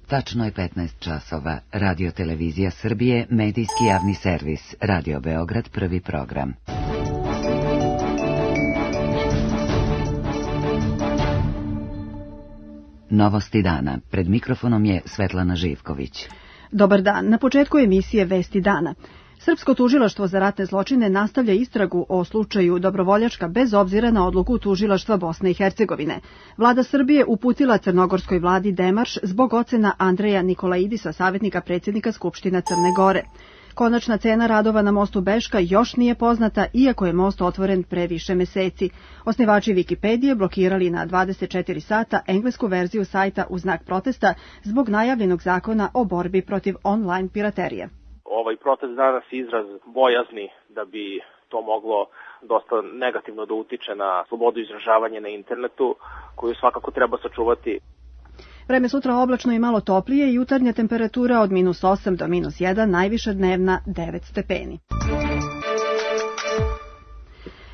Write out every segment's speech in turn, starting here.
Tačno je 15 časova. Radio Televizija Srbije, medijski javni servis. Radio Beograd, prvi program. Novosti dana. Pred mikrofonom je Svetlana Živković. Dobar dan. Na početku emisije Vesti dana. Srpsko tužilaštvo za ratne zločine nastavlja istragu o slučaju Dobrovoljačka bez obzira na odluku tužilaštva Bosne i Hercegovine. Vlada Srbije uputila crnogorskoj vladi demarš zbog ocena Andreja Nikolaidisa, savjetnika predsjednika Skupština Crne Gore. Konačna cena radova na mostu Beška još nije poznata, iako je most otvoren pre više meseci. Osnivači Wikipedije blokirali na 24 sata englesku verziju sajta u znak protesta zbog najavljenog zakona o borbi protiv online piraterije. Ovaj protest danas je izraz bojazni da bi to moglo dosta negativno da utiče na slobodu izražavanja na internetu, koju svakako treba sačuvati. Vreme sutra oblačno i malo toplije, jutarnja temperatura od -8 do -1, najviša dnevna 9 stepeni.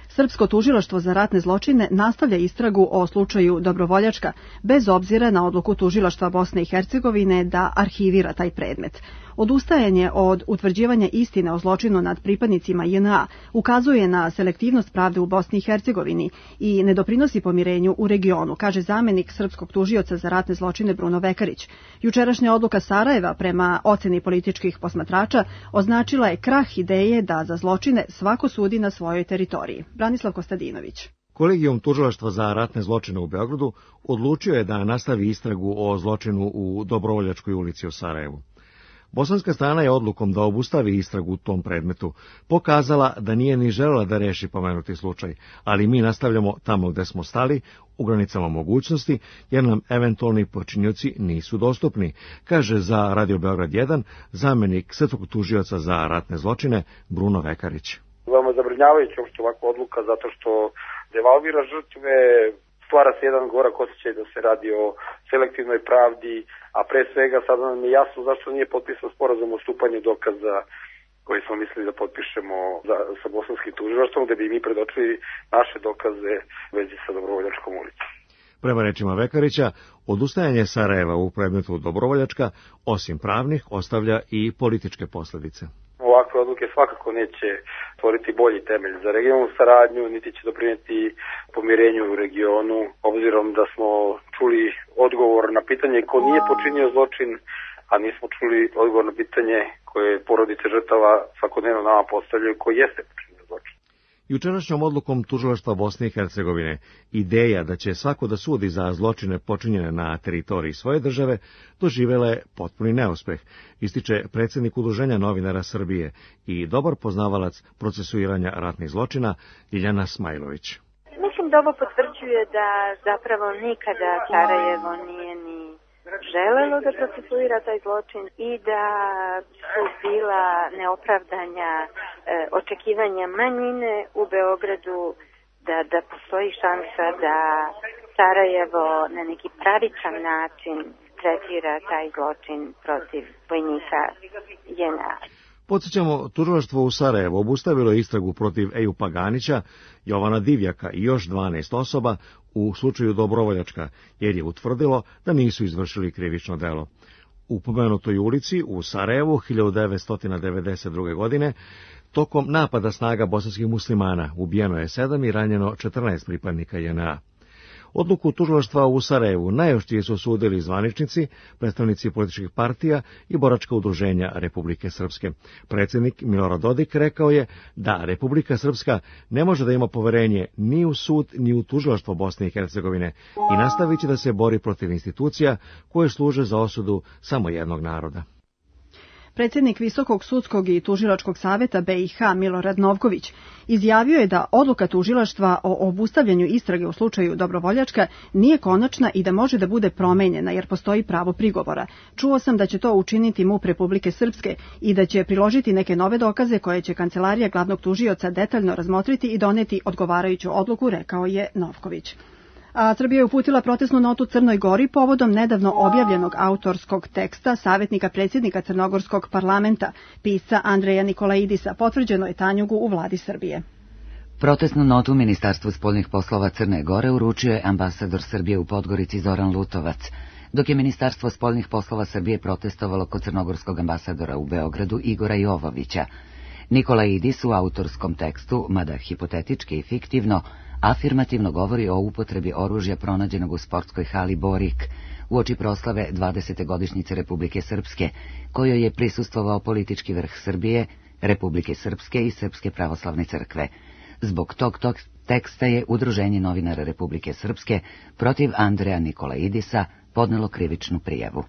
Srpsko tužilaštvo za ratne zločine nastavlja istragu o slučaju Dobrovoljačka, bez obzira na odluku tužilaštva Bosne i Hercegovine da arhivira taj predmet. Odustajanje od utvrđivanja istine o zločinu nad pripadnicima JNA ukazuje na selektivnost pravde u Bosni i Hercegovini i ne doprinosi pomirenju u regionu, kaže zamenik srpskog tužioca za ratne zločine Bruno Vekarić. Jučerašnja odluka Sarajeva prema oceni političkih posmatrača označila je krah ideje da za zločine svako sudi na svojoj teritoriji. Branislav Kostadinović. Kolegijum tužilaštva za ratne zločine u Beogradu odlučio je da nastavi istragu o zločinu u Dobrovoljačkoj ulici u Sarajevu. Bosanska strana je odlukom da obustavi istragu u tom predmetu pokazala da nije ni želela da reši pomenuti slučaj, ali mi nastavljamo tamo gde smo stali, u granicama mogućnosti, jer nam eventualni počinioci nisu dostupni, kaže za Radio Beograd 1 zamenik srpskog tužioca za ratne zločine Bruno Vekarić. Veoma zabrinjavajuća uopšte ovakva odluka zato što devalvira žrtve, stvara se jedan gorak osjećaj da se radi o selektivnoj pravdi, a pre svega sada nam je jasno zašto nije potpisan sporazum o stupanju dokaza koji smo mislili da potpišemo sa bosanskim tužilaštvom, gde bi mi predočili naše dokaze u vezi sa Dobrovoljačkom ulicom. Prema rečima Vekarića, odustajanje Sarajeva u predmetu Dobrovoljačka, osim pravnih, ostavlja i političke posljedice. Ovakve odluke svakako neće stvoriti bolji temelj za regionalnu saradnju, niti će doprinijeti pomirenju u regionu, obzirom da smo čuli odgovor na pitanje ko nije počinio zločin, a nismo čuli odgovor na pitanje koje porodice žrtava svakodnevno nama postavljaju ko jeste počinio zločin. Jučerašnjom odlukom tužilaštva Bosne i Hercegovine ideja da će svako da sudi za zločine počinjene na teritoriji svoje države doživela je potpuni neuspeh, ističe predsjednik Udruženja novinara Srbije i dobar poznavalac procesuiranja ratnih zločina Ljiljana Smajlović. Mislim da ovo potvrđuje da zapravo nikada Sarajevo nije ni želelo da procesuira taj zločin i da su bila neopravdanja očekivanja manjine u Beogradu da postoji šansa da Sarajevo na neki pravičan način tretira taj zločin protiv vojnika JNA. Podsjećamo, tužilaštvo u Sarajevu obustavilo istragu protiv Ejupa Ganića, Jovana Divjaka i još 12 osoba u slučaju Dobrovoljačka, jer je utvrdilo da nisu izvršili krivično delo. U pomenutoj ulici u Sarajevu 1992. godine tokom napada snaga bosanskih muslimana ubijeno je 7 i ranjeno 14 pripadnika JNA. Odluku tužilaštva u Sarajevu najoštrije su osudili zvaničnici, predstavnici političkih partija i boračka udruženja Republike Srpske. Predsjednik Milorad Dodik rekao je da Republika Srpska ne može da ima poverenje ni u sud ni u tužilaštvo Bosne i Hercegovine i nastavit će da se bori protiv institucija koje služe za osudu samo jednog naroda. Predsjednik Visokog sudskog i tužilačkog saveta BiH Milorad Novković izjavio je da odluka tužilaštva o obustavljanju istrage u slučaju Dobrovoljačka nije konačna i da može da bude promenjena jer postoji pravo prigovora. Čuo sam da će to učiniti MUP Republike Srpske i da će priložiti neke nove dokaze koje će kancelarija glavnog tužioca detaljno razmotriti i doneti odgovarajuću odluku, rekao je Novković. A Srbija je uputila protestnu notu Crnoj Gori povodom nedavno objavljenog autorskog teksta savjetnika predsjednika Crnogorskog parlamenta, pisca Andreja Nikolaidisa, potvrđeno je Tanjugu u vladi Srbije. Protestnu notu Ministarstvu spoljnih poslova Crne Gore uručio je ambasador Srbije u Podgorici Zoran Lutovac. Dok je Ministarstvo spoljnih poslova Srbije protestovalo kod crnogorskog ambasadora u Beogradu Igora Jovovića, Nikola Idis u autorskom tekstu, mada hipotetički i fiktivno, afirmativno govori o upotrebi oružja pronađenog u sportskoj hali Borik uoči proslave 20. godišnjice Republike Srpske, kojoj je prisustvovao politički vrh Srbije, Republike Srpske i Srpske pravoslavne crkve. Zbog tog teksta je Udruženje novinara Republike Srpske protiv Andreja Nikolaidisa podnelo krivičnu prijavu.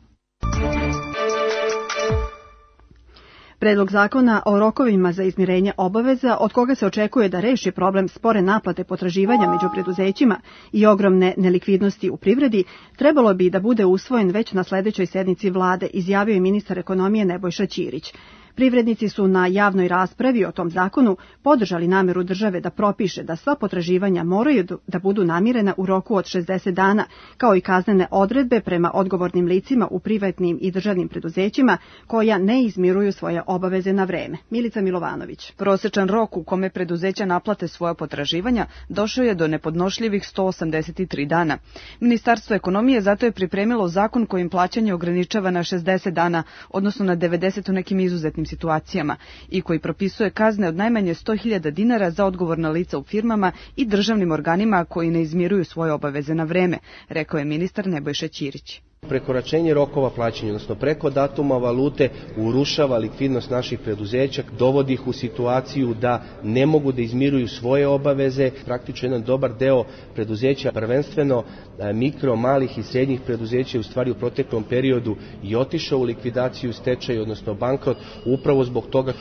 Predlog zakona o rokovima za izmirenje obaveza, od koga se očekuje da reši problem spore naplate potraživanja među preduzećima i ogromne nelikvidnosti u privredi, trebalo bi da bude usvojen već na sledećoj sednici vlade, izjavio je ministar ekonomije Nebojša Ćirić. Privrednici su na javnoj raspravi o tom zakonu podržali nameru države da propiše da sva potraživanja moraju da budu namirena u roku od 60 dana, kao i kaznene odredbe prema odgovornim licima u privatnim i državnim preduzećima koja ne izmiruju svoje obaveze na vreme. Milica Milovanović. Prosečan rok u kome preduzeća naplate svoja potraživanja došao je do nepodnošljivih 183 dana. Ministarstvo ekonomije zato je pripremilo zakon kojim plaćanje ograničava na 60 dana, odnosno na 90 u nekim izuzetnim situacijama, i koji propisuje kazne od najmanje 100.000 dinara za odgovorna lica u firmama i državnim organima koji ne izmiruju svoje obaveze na vreme, rekao je ministar Nebojša Ćirić. Prekoračenje rokova plaćanja, odnosno preko datuma valute, urušava likvidnost naših preduzeća, dovodi ih u situaciju da ne mogu da izmiruju svoje obaveze. Praktično jedan dobar deo preduzeća, prvenstveno mikro, malih i srednjih preduzeća, u stvari u proteklom periodu i otišao u likvidaciju, stečaj, odnosno bankrot, upravo zbog toga.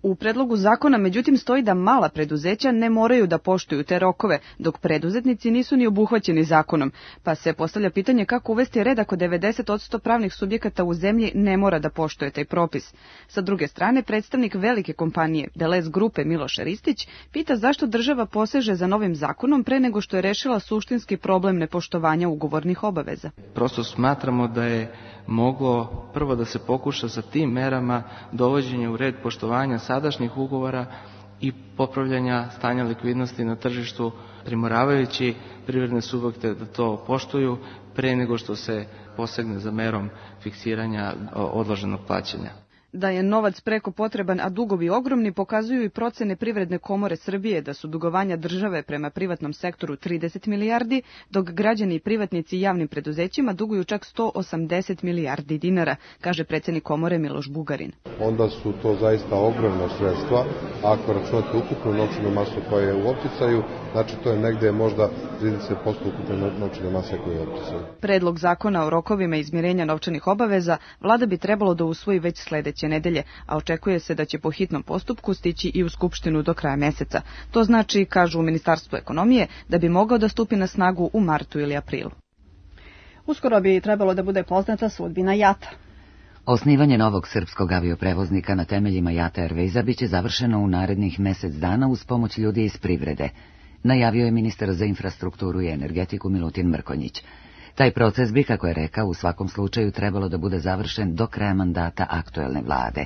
U predlogu zakona međutim stoji da mala preduzeća ne moraju da poštuju te rokove, dok preduzetnici nisu ni obuhvaćeni zakonom, pa se postavlja pitanje kako uvesti red ako 90% pravnih subjekata u zemlji ne mora da poštuje taj propis. Sa druge strane, predstavnik velike kompanije Delez grupe Miloš Ristić pita zašto država poseže za novim zakonom pre nego što je rešila suštinski problem nepoštovanja ugovornih obaveza. Prosto smatramo da je moglo prvo da se pokuša sa tim merama dovođenja u red poštovanja sadašnjih ugovora i popravljanja stanja likvidnosti na tržištu, primoravajući privredne subjekte da to poštuju pre nego što se posegne za merom fiksiranja odloženog plaćanja. Da je novac preko potreban, a dugovi ogromni, pokazuju i procene Privredne komore Srbije da su dugovanja države prema privatnom sektoru 30 milijardi, dok građani i privatnici javnim preduzećima duguju čak 180 milijardi dinara, kaže predsjednik komore Miloš Bugarin. Onda su to zaista ogromna sredstva, ako računate ukupnu novčanu masu koja je u opticaju, znači to je negde možda 30% ukupne novčane mase koja je u opticaju. Predlog zakona o rokovima izmirenja novčanih obaveza vlada bi trebalo da usvoji već sledeće nedelje, a očekuje se da će po hitnom postupku stići i u Skupštinu do kraja meseca. To znači, kažu u Ministarstvu ekonomije, da bi mogao da stupi na snagu u martu ili aprilu. Uskoro bi trebalo da bude poznata sudbina JAT-a. Osnivanje novog srpskog avioprevoznika na temeljima JAT Airwaysa biće završeno u narednih mesec dana uz pomoć ljudi iz privrede, najavio je ministar za infrastrukturu i energetiku Milutin Mrkonjić. Taj proces bi, kako je rekao, u svakom slučaju trebalo da bude završen do kraja mandata aktuelne vlade.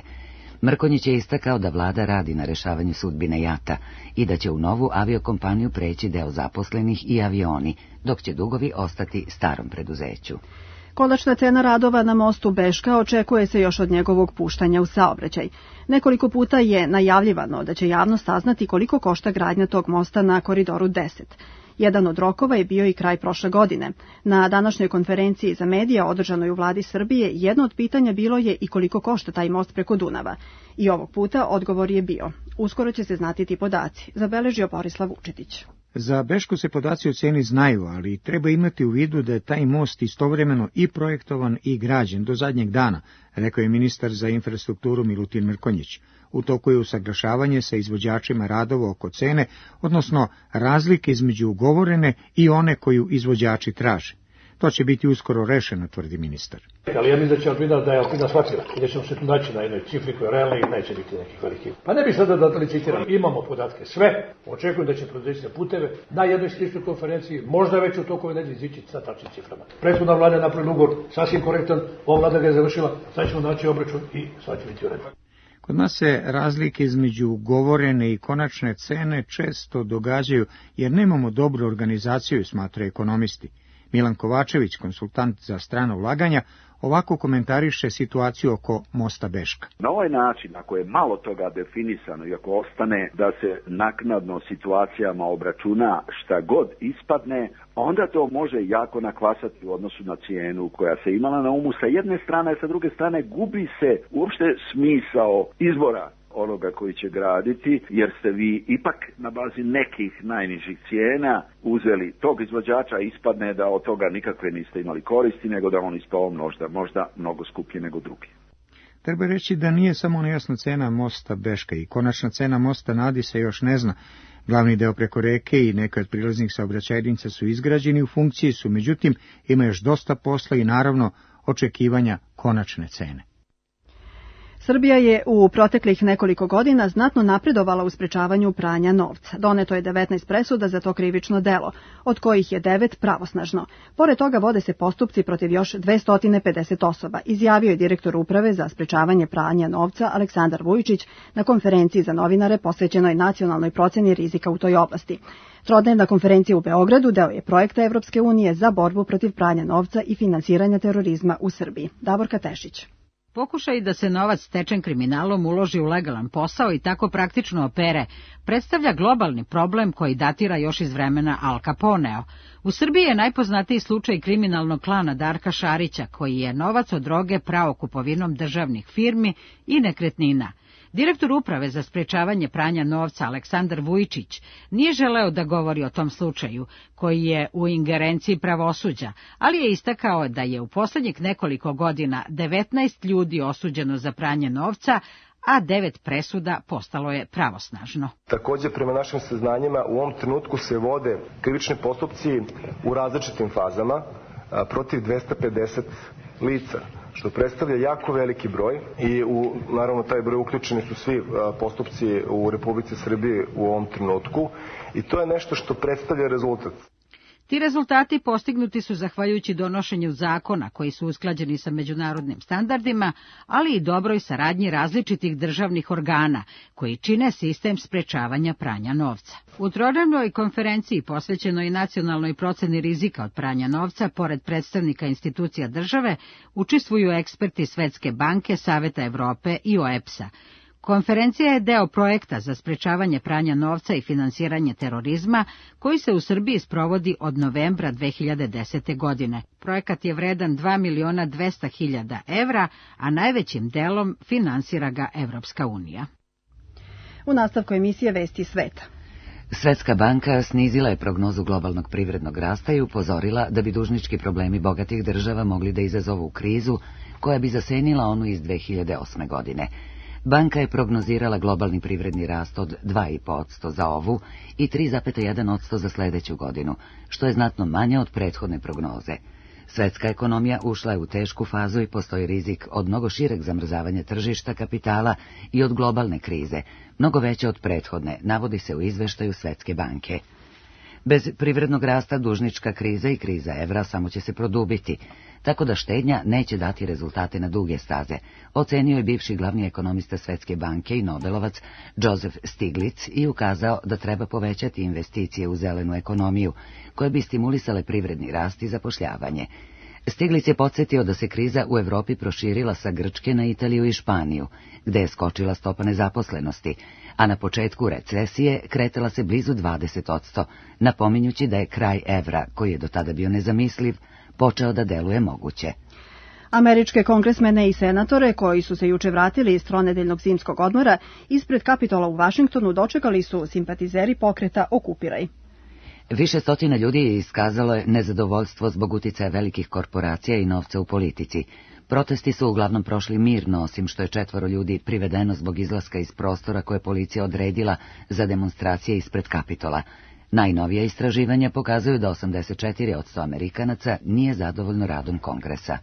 Mrkonjić je istakao da vlada radi na rešavanju sudbine JAT-a i da će u novu aviokompaniju preći deo zaposlenih i avioni, dok će dugovi ostati starom preduzeću. Konačna cena radova na mostu Beška očekuje se još od njegovog puštanja u saobraćaj. Nekoliko puta je najavljivano da će javnost saznati koliko košta gradnja tog mosta na Koridoru 10. Jedan od rokova je bio i kraj prošle godine. Na današnjoj konferenciji za medije održanoj u vladi Srbije jedno od pitanja bilo je i koliko košta taj most preko Dunava. I ovog puta odgovor je bio: uskoro će se znati ti podaci, zabeležio Borislav Vučetić. Za Bešku se podaci o ceni znaju, ali treba imati u vidu da je taj most istovremeno i projektovan i građen do zadnjeg dana, rekao je ministar za infrastrukturu Milutin Mrkonjić. U toku je usaglašavanje sa izvođačima radova oko cene, odnosno razlike između ugovorene i one koju izvođači traže. To će biti uskoro rešeno, tvrdi ministar. Ali ja mislim da će Alpina, da je Alpina shvatila i da ćemo se tu naći na jednoj cifri koja je realna i neće biti nekih velikih. Pa ne bi sada da licitiram. Imamo podatke sve. Očekujem da će preduzeće puteve na jednoj sličnoj konferenciji, možda već u toku nedelje izići sa tačnim ciframa. Prethodna vlada je napravila ugovor sasvim korektan, ova vlada ga je završila, sad ćemo naći obračun i sad će biti u redu. Kod nas se razlike između ugovorene i konačne cene često događaju jer nemamo dobru organizaciju, smatraju ekonomisti. Milan Kovačević, konsultant za strana ulaganja, ovako komentariše situaciju oko mosta Beška. Na ovaj način, ako je malo toga definisano i ako ostane da se naknadno situacijama obračuna šta god ispadne, onda to može jako nakvasati u odnosu na cijenu koja se imala na umu sa jedne strane, a sa druge strane gubi se uopšte smisao izbora onoga koji će graditi, jer ste vi ipak na bazi nekih najnižih cijena uzeli tog izvođača, ispadne da od toga nikakve niste imali koristi, nego da on ispao možda mnogo skuplji nego drugi. Treba reći da nije samo nejasna cena mosta Beška i konačna cena mosta na Adi se još ne zna. Glavni deo preko reke i neke od prilaznih saobraćajnica su izgrađeni, u funkciji su, međutim ima još dosta posla i naravno očekivanja konačne cene. Srbija je u proteklih nekoliko godina znatno napredovala u sprečavanju pranja novca. Doneto je 19 presuda za to krivično delo, od kojih je 9 pravosnažno. Pored toga vode se postupci protiv još 250 osoba, izjavio je direktor Uprave za sprečavanje pranja novca Aleksandar Vujičić na konferenciji za novinare posvećenoj nacionalnoj proceni rizika u toj oblasti. Trodnevna konferencija u Beogradu deo je projekta Evropske unije za borbu protiv pranja novca i finansiranja terorizma u Srbiji. Davorka Tešić. Pokušaj da se novac stečen kriminalom uloži u legalan posao i tako praktično opere, predstavlja globalni problem koji datira još iz vremena Al Caponea. U Srbiji je najpoznatiji slučaj kriminalnog klana Darka Šarića, koji je novac od droge prao kupovinom državnih firmi i nekretnina. Direktor Uprave za sprečavanje pranja novca Aleksandar Vujičić nije želeo da govori o tom slučaju, koji je u ingerenciji pravosuđa, ali je istakao da je u poslednjih nekoliko godina 19 ljudi osuđeno za pranje novca, a 9 presuda postalo je pravosnažno. Također, prema našim saznanjima, u ovom trenutku se vode krivični postupci u različitim fazama protiv 250 lica, što predstavlja jako veliki broj i naravno taj broj uključeni su svi postupci u Republici Srbiji u ovom trenutku i to je nešto što predstavlja rezultat. Ti rezultati postignuti su zahvaljujući donošenju zakona koji su usklađeni sa međunarodnim standardima, ali i dobroj saradnji različitih državnih organa koji čine sistem sprečavanja pranja novca. U trodnevnoj konferenciji posvećenoj nacionalnoj proceni rizika od pranja novca, pored predstavnika institucija države, učestvuju eksperti Svetske banke, Saveta Evrope i OEBS-a. Konferencija je deo projekta za sprečavanje pranja novca i finansiranje terorizma, koji se u Srbiji sprovodi od novembra 2010. godine. Projekat je vredan 2.200.000 evra, a najvećim delom finansira ga Evropska unija. U nastavku emisije Vesti sveta. Svetska banka snizila je prognozu globalnog privrednog rasta i upozorila da bi dužnički problemi bogatih država mogli da izazovu krizu koja bi zasenila onu iz 2008. godine. Banka je prognozirala globalni privredni rast od 2,5% za ovu i 3,1% za sljedeću godinu, što je znatno manje od prethodne prognoze. Svetska ekonomija ušla je u tešku fazu i postoji rizik od mnogo šireg zamrzavanja tržišta kapitala i od globalne krize, mnogo veće od prethodne, navodi se u izveštaju Svetske banke. Bez privrednog rasta dužnička kriza i kriza evra samo će se produbiti, tako da štednja neće dati rezultate na duge staze, ocenio je bivši glavni ekonomista Svetske banke i Nobelovac Joseph Stiglitz i ukazao da treba povećati investicije u zelenu ekonomiju, koje bi stimulisale privredni rast i zapošljavanje. Stiglitz je podsjetio da se kriza u Evropi proširila sa Grčke na Italiju i Španiju, gde je skočila stopa nezaposlenosti, a na početku recesije kretala se blizu 20%, napominjući da je kraj evra, koji je do tada bio nezamisliv, počeo da deluje moguće. Američke kongresmene i senatore, koji su se juče vratili iz tronedeljnog zimskog odmora, ispred Kapitola u Vašingtonu dočekali su simpatizeri pokreta Okupiraj. Više stotina ljudi je iskazalo nezadovoljstvo zbog uticaja velikih korporacija i novca u politici. Protesti su uglavnom prošli mirno, osim što je 4 ljudi privedeno zbog izlaska iz prostora koje policija odredila za demonstracije ispred Kapitola. Najnovija istraživanja pokazuju da 84% Amerikanaca nije zadovoljno radom Kongresa.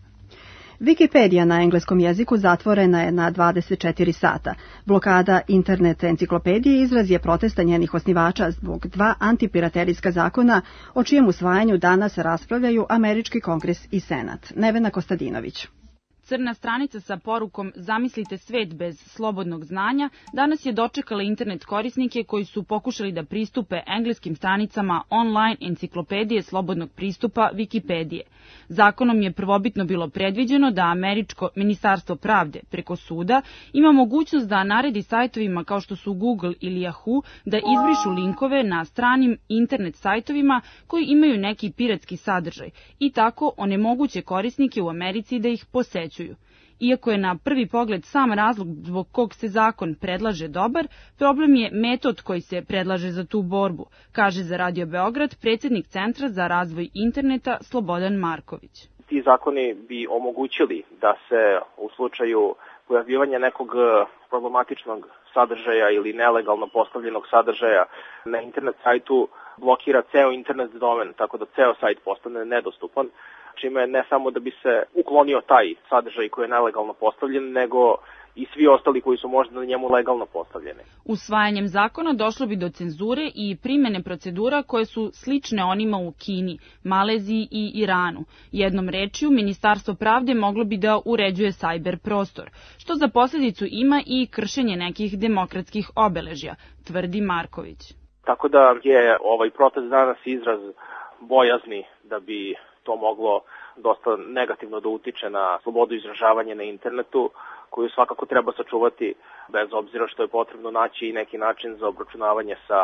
Wikipedia na engleskom jeziku zatvorena je na 24 sata. Blokada internet enciklopedije izraz je protesta njenih osnivača zbog 2 antipiraterijska zakona, o čijem usvajanju danas raspravljaju Američki kongres i Senat. Nevena Kostadinović. Crna stranica sa porukom "Zamislite svet bez slobodnog znanja" danas je dočekala internet korisnike koji su pokušali da pristupe engleskim stranicama online enciklopedije slobodnog pristupa Wikipedije. Zakonom je prvobitno bilo predviđeno da američko Ministarstvo pravde preko suda ima mogućnost da naredi sajtovima kao što su Google ili Yahoo da izbrišu linkove na stranim internet sajtovima koji imaju neki piratski sadržaj i tako onemoguće korisnike u Americi da ih posećuju. Iako je na prvi pogled sam razlog zbog kog se zakon predlaže dobar, problem je metod koji se predlaže za tu borbu, kaže za Radio Beograd predsjednik Centra za razvoj interneta Slobodan Marković. Ti zakoni bi omogućili da se u slučaju pojavljivanja nekog problematičnog sadržaja ili nelegalno postavljenog sadržaja na internet sajtu blokira ceo internet domen, tako da ceo sajt postane nedostupan, čime ne samo da bi se uklonio taj sadržaj koji je nelegalno postavljen, nego i svi ostali koji su možda na njemu legalno postavljeni. Usvajanjem zakona došlo bi do cenzure i primene procedura koje su slične onima u Kini, Maleziji i Iranu. Jednom rečju, Ministarstvo pravde moglo bi da uređuje sajber prostor, što za posljedicu ima i kršenje nekih demokratskih obeležja, tvrdi Marković. Tako da je ovaj protest danas izraz bojazni da bi to moglo dosta negativno da utiče na slobodu izražavanja na internetu, koju svakako treba sačuvati, bez obzira što je potrebno naći i neki način za obračunavanje sa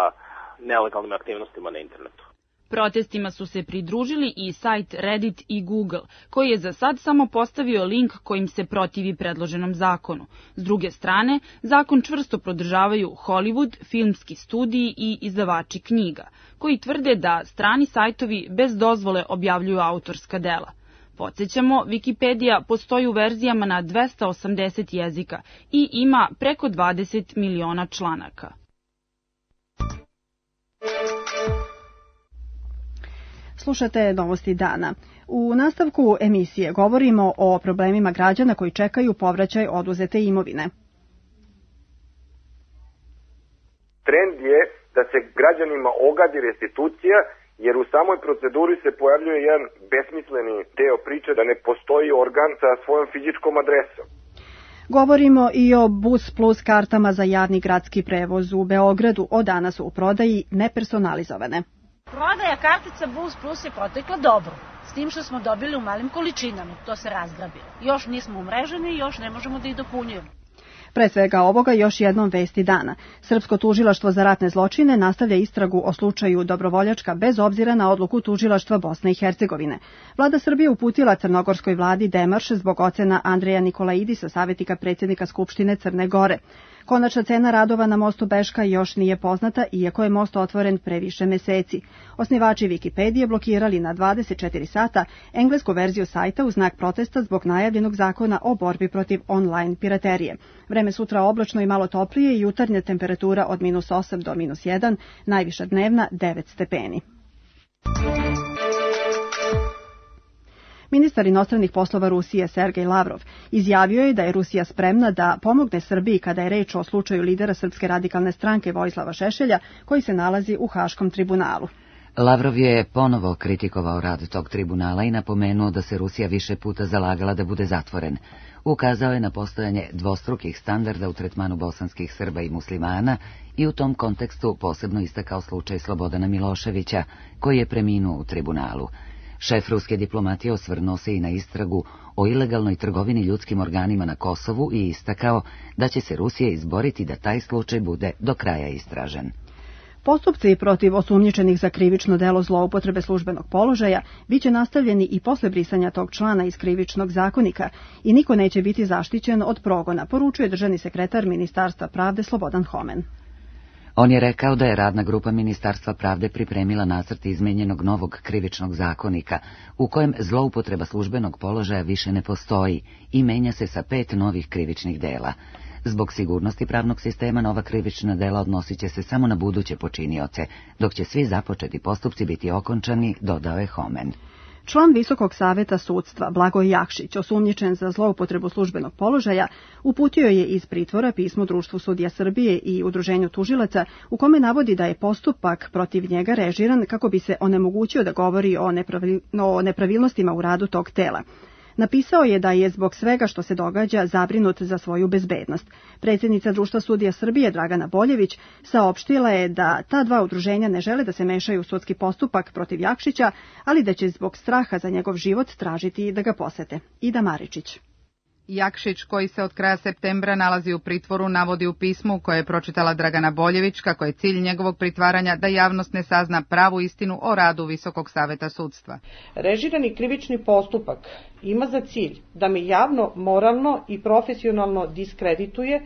nelegalnim aktivnostima na internetu. Protestima su se pridružili i sajt Reddit i Google, koji je za sad samo postavio link kojim se protivi predloženom zakonu. S druge strane, zakon čvrsto podržavaju Hollywood, filmski studiji i izdavači knjiga, koji tvrde da strani sajtovi bez dozvole objavljuju autorska dela. Podsjećamo, Wikipedija postoji u verzijama na 280 jezika i ima preko 20 miliona članaka. Slušate novosti dana. U nastavku emisije govorimo o problemima građana koji čekaju povraćaj oduzete imovine. Trend je da se građanima ogadi restitucija, jer u samoj proceduri se pojavljuje jedan besmisleni deo priče da ne postoji organ sa svojom fizičkom adresom. Govorimo i o Bus Plus kartama za javni gradski prevoz u Beogradu. Od danas su u prodaji nepersonalizovane. Prodaja kartica Bus Plus je protekla dobro, s tim što smo dobili u malim količinama, to se razgrabilo. Još nismo umreženi i još ne možemo da ih dopunjujemo. Pre svega ovoga još jednom vesti dana. Srpsko tužilaštvo za ratne zločine nastavlja istragu o slučaju Dobrovoljačka bez obzira na odluku tužilaštva Bosne i Hercegovine. Vlada Srbije uputila crnogorskoj vladi demarš zbog ocena Andreja Nikolaidisa, savjetnika predsjednika Skupštine Crne Gore. Konačna cena radova na mostu Beška još nije poznata, iako je most otvoren pre više meseci. Osnivači Wikipedije blokirali na 24 sata englesku verziju sajta u znak protesta zbog najavljenog zakona o borbi protiv online piraterije. Vreme sutra oblačno i malo toplije i jutarnja temperatura od -8 do -1, najviša dnevna 9 stepeni. Ministar inostranih poslova Rusije Sergej Lavrov izjavio je da je Rusija spremna da pomogne Srbiji kada je reč o slučaju lidera Srpske radikalne stranke Vojislava Šešelja, koji se nalazi u Haškom tribunalu. Lavrov je ponovo kritikovao rad tog tribunala i napomenuo da se Rusija više puta zalagala da bude zatvoren. Ukazao je na postojanje dvostrukih standarda u tretmanu bosanskih Srba i muslimana i u tom kontekstu posebno istakao slučaj Slobodana Miloševića, koji je preminuo u tribunalu. Šef ruske diplomatije osvrnuo se i na istragu o ilegalnoj trgovini ljudskim organima na Kosovu i istakao da će se Rusija izboriti da taj slučaj bude do kraja istražen. Postupci protiv osumnjičenih za krivično delo zloupotrebe službenog položaja biće nastavljeni i posle brisanja tog člana iz Krivičnog zakonika i niko neće biti zaštićen od progona, poručuje državni sekretar Ministarstva pravde Slobodan Homen. On je rekao da je radna grupa Ministarstva pravde pripremila nacrt izmenjenog novog krivičnog zakonika, u kojem zloupotreba službenog položaja više ne postoji i menja se sa 5 novih krivičnih dela. Zbog sigurnosti pravnog sistema nova krivična dela odnosit će se samo na buduće počinioce, dok će svi započeti postupci biti okončani, dodao je Homen. Član Visokog saveta sudstva Blagoj Jakšić, osumnjičen za zloupotrebu službenog položaja, uputio je iz pritvora pismo Društvu sudija Srbije i Udruženju tužilaca, u kome navodi da je postupak protiv njega režiran kako bi se onemogućio da govori o nepravilnostima u radu tog tela. Napisao je da je zbog svega što se događa zabrinut za svoju bezbednost. Predsjednica Društva sudija Srbije Dragana Boljević saopštila je da ta dva udruženja ne žele da se mešaju u sudski postupak protiv Jakšića, ali da će zbog straha za njegov život tražiti da ga posete. Ida Maričić. Jakšić, koji se od kraja septembra nalazi u pritvoru, navodi u pismu koje je pročitala Dragana Boljević kako je cilj njegovog pritvaranja da javnost ne sazna pravu istinu o radu Visokog saveta sudstva. Režirani krivični postupak ima za cilj da me javno, moralno i profesionalno diskredituje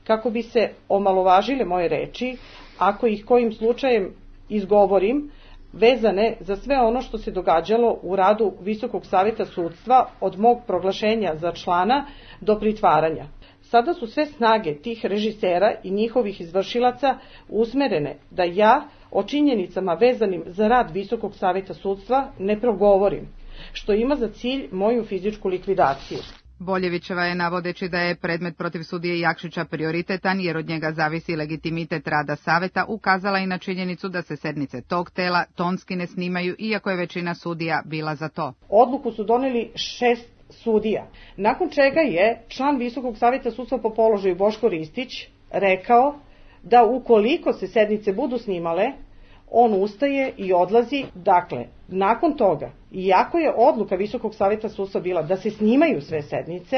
kako bi se omalovažile moje reči, ako ih kojim slučajem izgovorim, vezane za sve ono što se događalo u radu Visokog saveta sudstva od mog proglašenja za člana do pritvaranja. Sada su sve snage tih režisera i njihovih izvršilaca usmerene da ja o činjenicama vezanim za rad Visokog saveta sudstva ne progovorim, što ima za cilj moju fizičku likvidaciju. Boljevićeva je, navodeći da je predmet protiv sudije Jakšića prioritetan jer od njega zavisi legitimitet rada saveta, ukazala i na činjenicu da se sednice tog tela tonski ne snimaju, iako je većina sudija bila za to. Odluku su doneli 6 sudija, nakon čega je član Visokog saveta sudstva po položaju Boško Ristić rekao da ukoliko se sednice budu snimale, on ustaje i odlazi. Dakle, nakon toga, iako je odluka Visokog saveta sudstva bila da se snimaju sve sednice,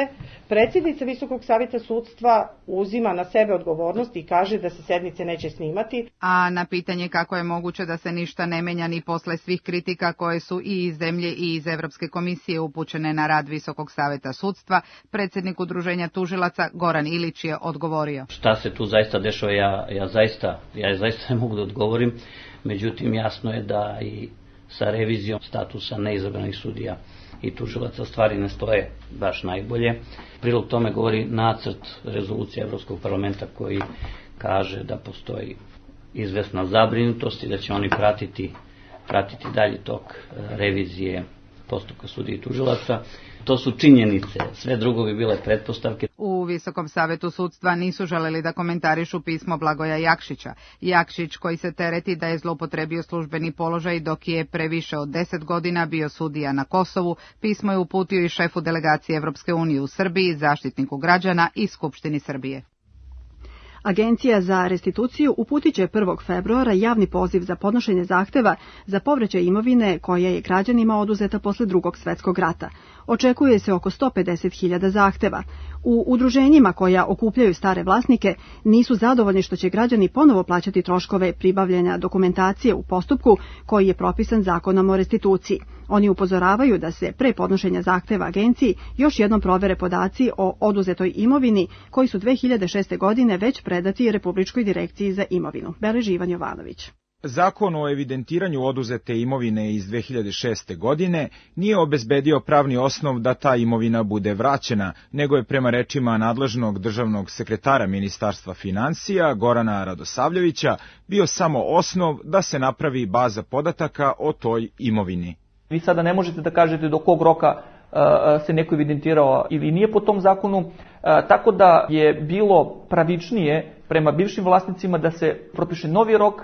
predsjednica Visokog saveta sudstva uzima na sebe odgovornost i kaže da se sednice neće snimati. A na pitanje kako je moguće da se ništa ne menja ni posle svih kritika koje su i iz zemlje i iz Evropske komisije upućene na rad Visokog saveta sudstva, predsjednik Udruženja tužilaca Goran Ilić je odgovorio. Šta se tu zaista dešava, ja zaista ne mogu da odgovorim, međutim jasno je da i sa revizijom statusa neizabranih sudija i tužilaca stvari ne stoje baš najbolje. Prilog tome govori nacrt rezolucije Evropskog parlamenta koji kaže da postoji izvesna zabrinutost i da će oni pratiti dalji tok revizije postupka sudija i tužilaca. To su činjenice, sve drugo bi bile pretpostavke. U Visokom savetu sudstva nisu želeli da komentarišu pismo Blagoja Jakšića. Jakšić, koji se tereti da je zloupotrebio službeni položaj dok je pre više od 10 godina bio sudija na Kosovu, pismo je uputio i šefu delegacije Evropske unije u Srbiji, Zaštitniku građana i Skupštini Srbije. Agencija za restituciju uputit će 1. februara javni poziv za podnošenje zahteva za povraćaj imovine koja je građanima oduzeta posle Drugog svjetskog rata. Očekuje se oko 150.000 zahteva. U udruženjima koja okupljaju stare vlasnike nisu zadovoljni što će građani ponovo plaćati troškove pribavljanja dokumentacije u postupku koji je propisan Zakonom o restituciji. Oni upozoravaju da se pre podnošenja zahteva agenciji još jednom provere podaci o oduzetoj imovini koji su 2006. godine već predati Republičkoj direkciji za imovinu. Beleži Ivan Jovanović. Zakon o evidentiranju oduzete imovine iz 2006. godine nije obezbedio pravni osnov da ta imovina bude vraćena, nego je prema rečima nadležnog državnog sekretara Ministarstva finansija Gorana Radosavljevića bio samo osnov da se napravi baza podataka o toj imovini. Vi sada ne možete da kažete do kog roka se neko evidentirao ili nije po tom zakonu, tako da je bilo pravičnije prema bivšim vlasnicima da se propiše novi rok,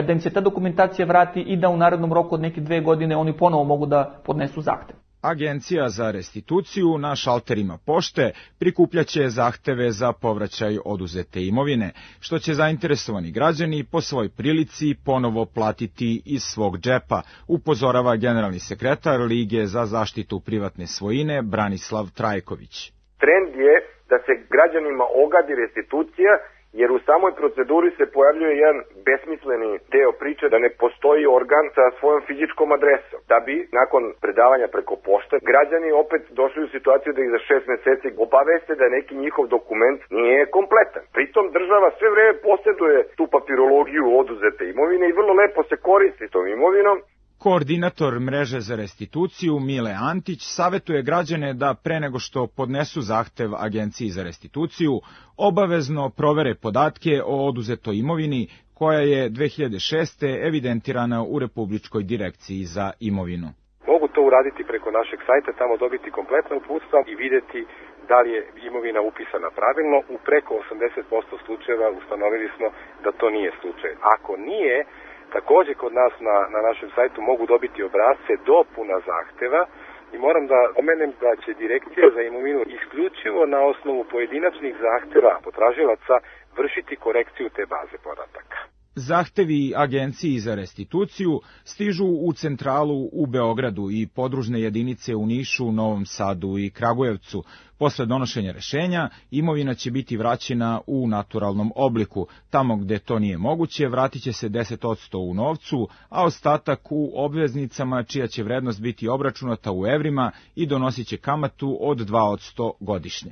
da im se ta dokumentacija vrati i da u narednom roku od neke 2 godine oni ponovo mogu da podnesu zahtev. Agencija za restituciju na šalterima pošte prikupljaće zahteve za povraćaj oduzete imovine, što će zainteresovani građani po svoj prilici ponovo platiti iz svog džepa, upozorava generalni sekretar Lige za zaštitu privatne svojine Branislav Trajković. Trend je da se građanima ogadi restitucija, jer u samoj proceduri se pojavljuje jedan besmisleni deo priče da ne postoji organ sa svojom fizičkom adresom. Da bi, nakon predavanja preko pošte, građani opet došli u situaciju da ih za 6 meseci obaveste da neki njihov dokument nije kompletan. Pritom država sve vreme posjeduje tu papirologiju oduzete imovine i vrlo lepo se koristi tom imovinom. Koordinator mreže za restituciju Mile Antić savetuje građane da pre nego što podnesu zahtev Agenciji za restituciju obavezno provere podatke o oduzetoj imovini koja je 2006. evidentirana u Republičkoj direkciji za imovinu. Mogu to uraditi preko našeg sajta, tamo dobiti kompletna uputstva i vidjeti da li je imovina upisana pravilno. U preko 80% slučajeva ustanovili smo da to nije slučaj. Ako nije, također kod nas na našem sajtu mogu dobiti obrasce dopuna zahteva I moram da pomenem da će Direkcija za imovinu isključivo na osnovu pojedinačnih zahteva potražilaca vršiti korekciju te baze podataka. Zahtevi Agenciji za restituciju stižu u centralu u Beogradu i podružne jedinice u Nišu, Novom Sadu i Kragujevcu. Posle donošenja rešenja, imovina će biti vraćena u naturalnom obliku. Tamo gde to nije moguće, vratit će se 10% u novcu, a ostatak u obveznicama čija će vrednost biti obračunata u evrima i donosit će kamatu od 2% godišnje.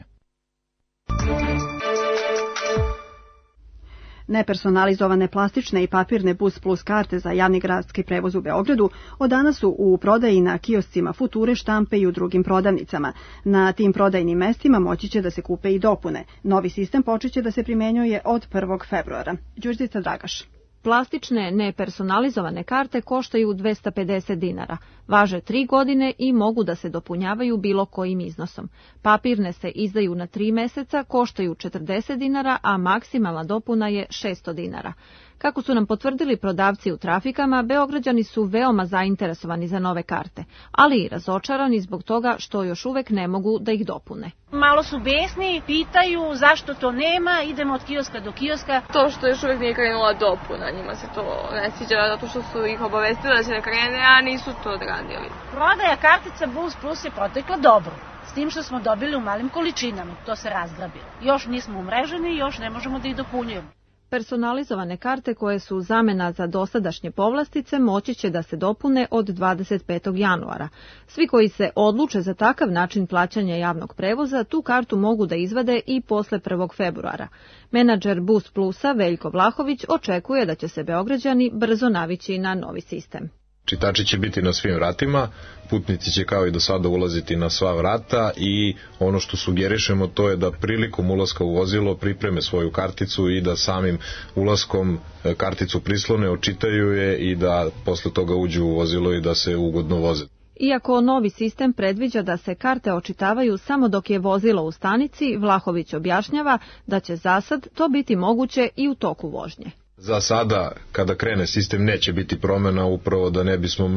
Nepersonalizovane plastične i papirne Bus Plus karte za javni gradski prevoz u Beogradu od danas su u prodaji na kioscima Future, Štampe i u drugim prodavnicama. Na tim prodajnim mestima moći će da se kupe i dopune. Novi sistem počeće da se primenjuje od 1. februara. Đurđica Dragaš. Plastične nepersonalizovane karte koštaju 250 dinara, važe 3 godine i mogu da se dopunjavaju bilo kojim iznosom. Papirne se izdaju na 3 meseca, koštaju 40 dinara, a maksimalna dopuna je 600 dinara. Kako su nam potvrdili prodavci u trafikama, Beograđani su veoma zainteresovani za nove karte, ali i razočarani zbog toga što još uvek ne mogu da ih dopune. Malo su besni, pitaju zašto to nema, idemo od kioska do kioska. To što još uvek nije krenula dopuna, njima se to ne sviđa zato što su ih obavestili da će ne krene, a nisu to odradili. Prodaja kartica Bus Plus je protekla dobro, s tim što smo dobili u malim količinama, to se razgrabilo. Još nismo umreženi i još ne možemo da ih dopunjujemo. Personalizovane karte koje su zamena za dosadašnje povlastice moći će da se dopune od 25. januara. Svi koji se odluče za takav način plaćanja javnog prevoza tu kartu mogu da izvade i posle 1. februara. Menadžer Bus Plusa Veljko Vlahović očekuje da će se Beograđani brzo navići na novi sistem. Čitači će biti na svim vratima, putnici će kao i do sada ulaziti na sva vrata i ono što sugerišemo to je da prilikom ulaska u vozilo pripreme svoju karticu i da samim ulaskom karticu prislone, očitaju je i da posle toga uđu u vozilo i da se ugodno voze. Iako novi sistem predviđa da se karte očitavaju samo dok je vozilo u stanici, Vlahović objašnjava da će zasad to biti moguće i u toku vožnje. Za sada, kada krene sistem, neće biti promjena upravo da ne bismo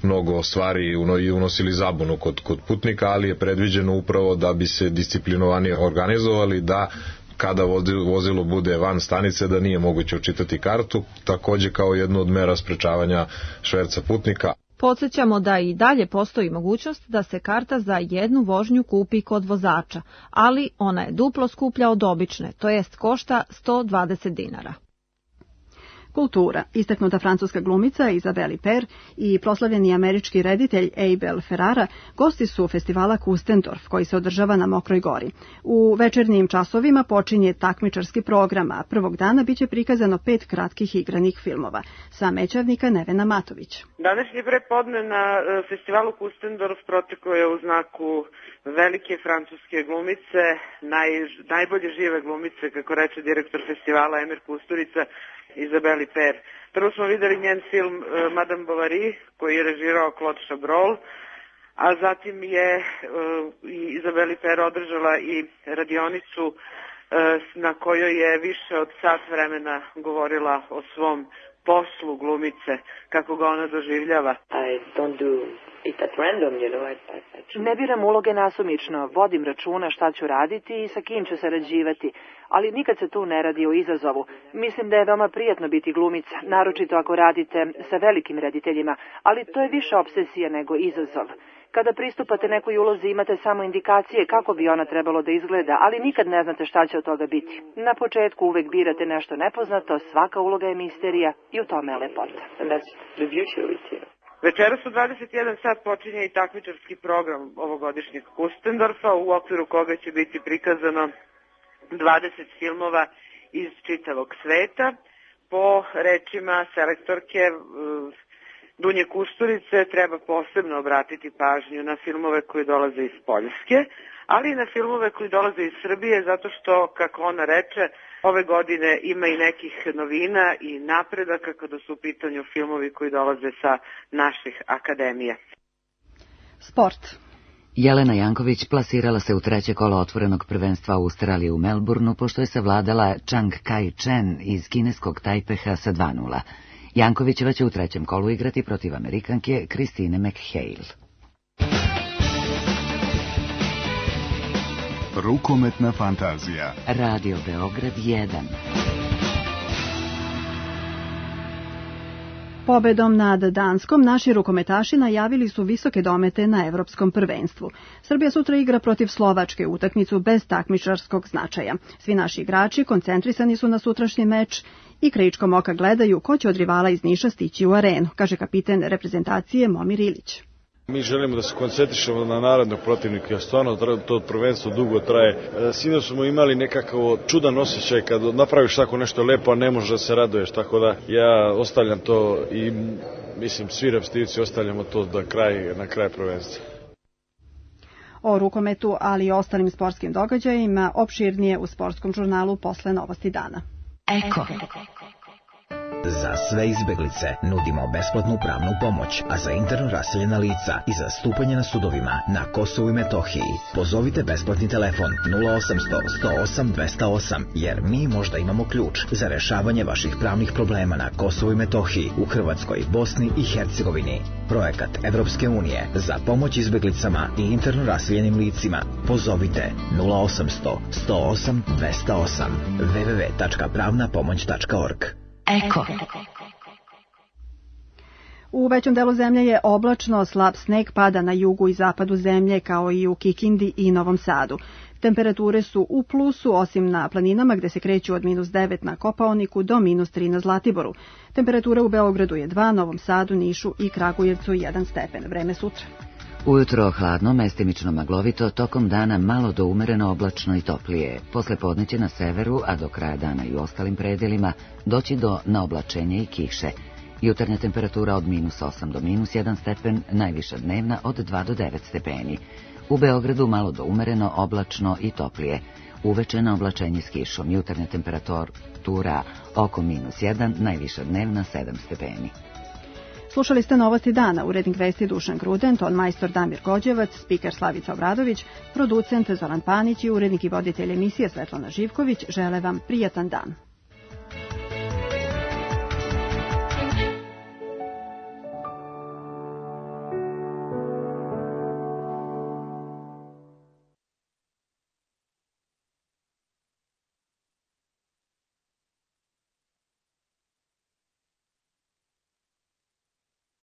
mnogo stvari unosili zabunu kod putnika, ali je predviđeno upravo da bi se disciplinovanije organizovali, da kada vozilo bude van stanice da nije moguće očitati kartu, takođe kao jednu od mera sprečavanja šverca putnika. Podsjećamo da i dalje postoji mogućnost da se karta za jednu vožnju kupi kod vozača, ali ona je duplo skuplja od obične, to jest košta 120 dinara. Kultura. Istaknuta francuska glumica Isabelle Huppert i proslavljeni američki reditelj Abel Ferrara gosti su festivala Kustendorf koji se održava na Mokroj gori. U večernjim časovima počinje takmičarski program, a prvog dana biće prikazano 5 kratkih igranih filmova. Sa Mećavnika Nevena Matović. Današnje prepodne na festivalu Kustendorf proteklo je u znaku velike francuske glumice, najbolje žive glumice, kako reče direktor festivala Emir Kusturica, Isabelle Huppert. Prvo smo videli njen film Madame Bovary, koji je režirao Claude Chabrol, a zatim je Isabelle Huppert održala i radionicu na kojoj je više od sat vremena govorila o svom poslu glumice, kako ga ona doživljava. Ne biram uloge nasumično, vodim računa šta ću raditi i sa kim ću sarađivati, ali nikad se tu ne radi o izazovu. Mislim da je veoma prijatno biti glumica, naročito ako radite sa velikim rediteljima, ali to je više obsesija nego izazov. Kada pristupate nekoj ulozi imate samo indikacije kako bi ona trebalo da izgleda, ali nikad ne znate šta će od toga biti. Na početku uvek birate nešto nepoznato, svaka uloga je misterija i u tome je lepota. Večeras u 21 sat počinje i takmičarski program ovogodišnjeg Kustendorfa, u okviru koga će biti prikazano 20 filmova iz čitavog sveta. Po rečima selektorke Dunje Kusturice treba posebno obratiti pažnju na filmove koji dolaze iz Poljske, ali i na filmove koji dolaze iz Srbije, zato što, kako ona reče, ove godine ima i nekih novina i napredaka kada su u pitanju filmovi koji dolaze sa naših akademija. Sport. Jelena Janković plasirala se u treće kolo otvorenog prvenstva Australije u Melbourneu, pošto je savladala Chang Kai-chen iz kineskog Tajpeha sa 2:0. Jankovićeva će u trećem kolu igrati protiv Amerikanke Christine McHale. Rukometna fantazija. Radio Beograd 1. Pobedom nad Danskom naši rukometaši najavili su visoke domete na evropskom prvenstvu. Srbija sutra igra protiv Slovačke, utakmicu bez takmičarskog značaja. Svi naši igrači koncentrisani su na sutrašnji meč i krajičkom oka gledaju ko će od rivala iz Niša stići u arenu, kaže kapiten reprezentacije Momir Ilić. Mi želimo da se koncentrišemo na narednog protivnika, stvarno to prvenstvo dugo traje. Sinoć smo imali nekakav čudan osjećaj kad napraviš tako nešto lepo, a ne možeš da se raduješ, tako da ja ostavljam to i mislim svi repstivci ostavljamo to na kraj prvenstva. O rukometu, ali i ostalim sportskim događajima opširnije u sportskom žurnalu posle Novosti dana. Eko. Za sve izbeglice nudimo besplatnu pravnu pomoć, a za interno raseljena lica i za stupanje na sudovima na Kosovu i Metohiji pozovite besplatni telefon 0800 108 208, jer mi možda imamo ključ za rešavanje vaših pravnih problema na Kosovu i Metohiji, u Hrvatskoj, Bosni i Hercegovini. Projekat Evropske unije za pomoć izbeglicama i interno raseljenim licima. Pozovite 0800 108 208 www.pravnapomoć.org. Eko. U većem delu zemlje je oblačno, slab sneg pada na jugu i zapadu zemlje, kao i u Kikindi i Novom Sadu. Temperature su u plusu, osim na planinama gde se kreću od -9 na Kopaoniku do -3 na Zlatiboru. Temperatura u Beogradu je 2, Novom Sadu, Nišu i Kragujevcu 1 stepen. Vreme sutra. Ujutro hladno, mestimično maglovito, tokom dana malo do umereno oblačno i toplije. Posle podne će na severu, a do kraja dana i u ostalim predelima, doći do naoblačenja i kiše. Jutarnja temperatura od -8 do -1 stepen, najviša dnevna od 2 do 9 stepeni. U Beogradu malo do umereno, oblačno i toplije. Uveče na oblačenje s kišom, jutarnja temperatura oko -1, najviša dnevna 7 stepeni. Slušali ste Novosti dana, urednik vesti Dušan Gruden, ton majstor Damir Gođevac, spiker Slavica Obradović, producent Zoran Panić i urednik i voditelj emisije Svetlana Živković. Žele vam prijatan dan.